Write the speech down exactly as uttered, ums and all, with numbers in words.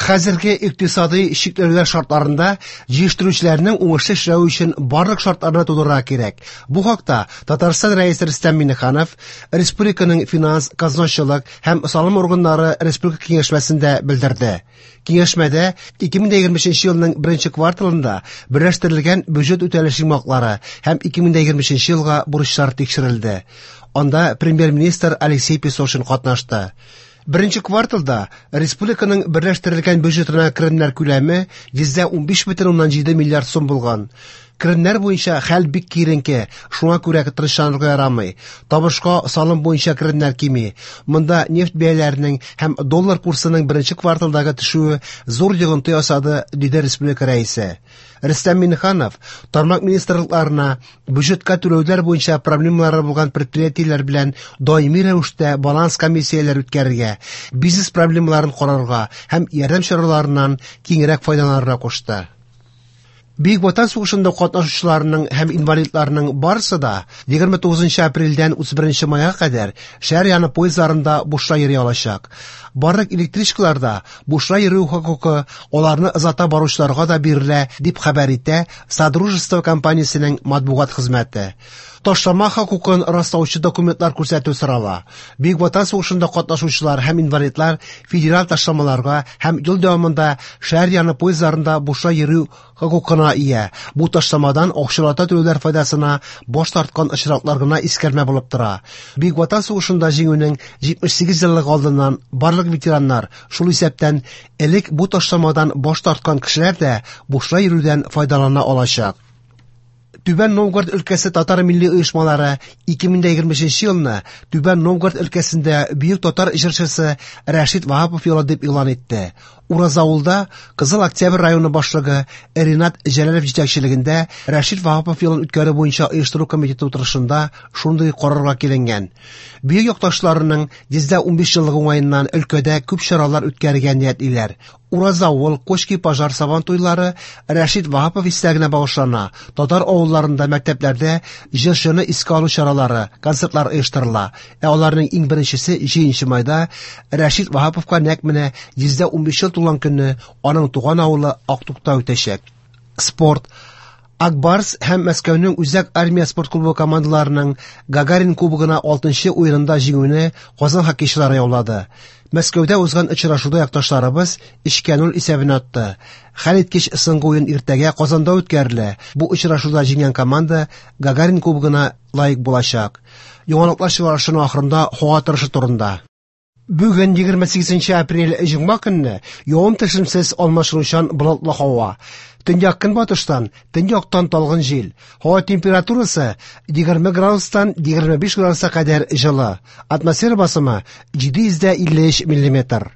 Хәзерге икътисадый чикләүләр шартларында җитештерүчеләрнең уңышлы эшләве өчен барлык шартларны тудырырга кирәк. Бу хакта Татарстан Рәисе Рөстәм Миңнеханов республиканың финанс, казначылык һәм салым органнары республика киңәшмәсендә белдерде. Киңәшмәдә ике мең егерме өченче елның беренче кварталында берләштерелгән бюджет үтәлеше йомгаклары һәм ике мең егерме өченче елга бурычлар тикшерелде. Анда премьер-министр Алексей Песошин катнашты. Беренче кварталда республиканың берләштерелгән бюджетына керемнәр күләме йөздә унбиш бөтен уннан җиде миллиард сум булган. Керемнәр буенча хәл бик киеренке, шуңа күрә тырышланырга ярамый. Табышка салым буенча керемнәр кими. Монда нефть бәяләренең һәм доллар курсының беренче кварталдагы төшүе зур йогынты ясады, диде республика рәисе. Рөстәм Миңнеханов тармак министрлыкларына бюджетка түләүләр буенча проблемалары булган предприятиеләр белән даими рәвештә баланс комиссияләре үткәрергә, бизнес проблемаларын карарга һәм ярдәм чараларыннан киңрәк файдаланырга кушты. Бөек Ватан сугышында катнашучыларның һәм инвалидларның барысы да егерме тугызынчы апрельдән утыз беренче майга кадәр шәһәр яны поездларында бушлай йөри алачак. Барлык электричкаларда бушлай йөрү хокукы аларны озата баручыларга да бирелә, дип хәбәр итә Содружество компаниясенең матбугат хезмәте. Ташлама хокукын раслаучы документлар күрсәтү сорала. Бөек Ватан сугышында катнашучылар һәм инвалидлар федераль ташламаларга һәм ел дәвамында шәһәр яны поездларында бушлай йөрү хокукына ия. Бу ташламадан акчалата түләүләр файдасына баш тарткан очраклар гына искәрмә булып тора. Бөек Ватан сугышында җиңүнең җитмеш сигез еллыгы алдыннан барлык ветераннар, шул исәптән элек бу ташламадан баш тарткан кешеләр дә бушлай йөрүдән файдалана алачак. Түбән Новгород өлкәсе татар милли оешмалары ике мең егерме өченче елны Түбән Новгород өлкәсендә бөек татар җырчысы Рәшит Ваһапов елы дип игълан итте. Уразавылда Кызыл Октябрь районы башлыгы Ринат Җәләлов җитәкчелегендә Рәшит Ваһапов елын үткәрү буенча оештыру комитеты утырышында шундый карарга киленгән. Бөек якташларының йөздә унбиш еллыгы уңаеннан өлкәдә күп чаралар үткәрергә ниятлиләр. Уразавыл, Кочки Пожар сабан туйлары Рәшит Ваһапов истәлегенә багышлана. Татар авылларында мәктәпләрдә җырчыны искә алу чаралары, концертлар оештырыла. Ә аларның иң беренчесе җиденче майда Рәшит Ваһаповка нәкъ менә йөздә унбиш ел тулган көнне аның туган авылы Актукта үтәчәк. Спорт. Акбарс һәм Мәскәүнең Үзәк армия спорт клубы командаларының Гагарин кубогына алтынчы уенында җиңүне Казан хоккейчылары яулады. Мәскәүдә узган очрашуда якташларыбыз өчкә ноль исәбен атты. Хәлиткеч соңгы уен иртәгә Казанда үткәрелә. Бу очрашуда җиңгән команда Гагарин кубогына лаек булачак. Яңалыклар чыгарышының ахырында һава торышы турында. Бүген егерме сигезенче апрель җомга көнне явым-төшемсез алмашынучан болытлы һава. Төньяк көнбатыштан, төньяктан талгын җил. Һава температурасы егерме градустан егерме биш градуска кадәр җылы. Атмосфера басымы җиде йөз дә илле өч миллиметр.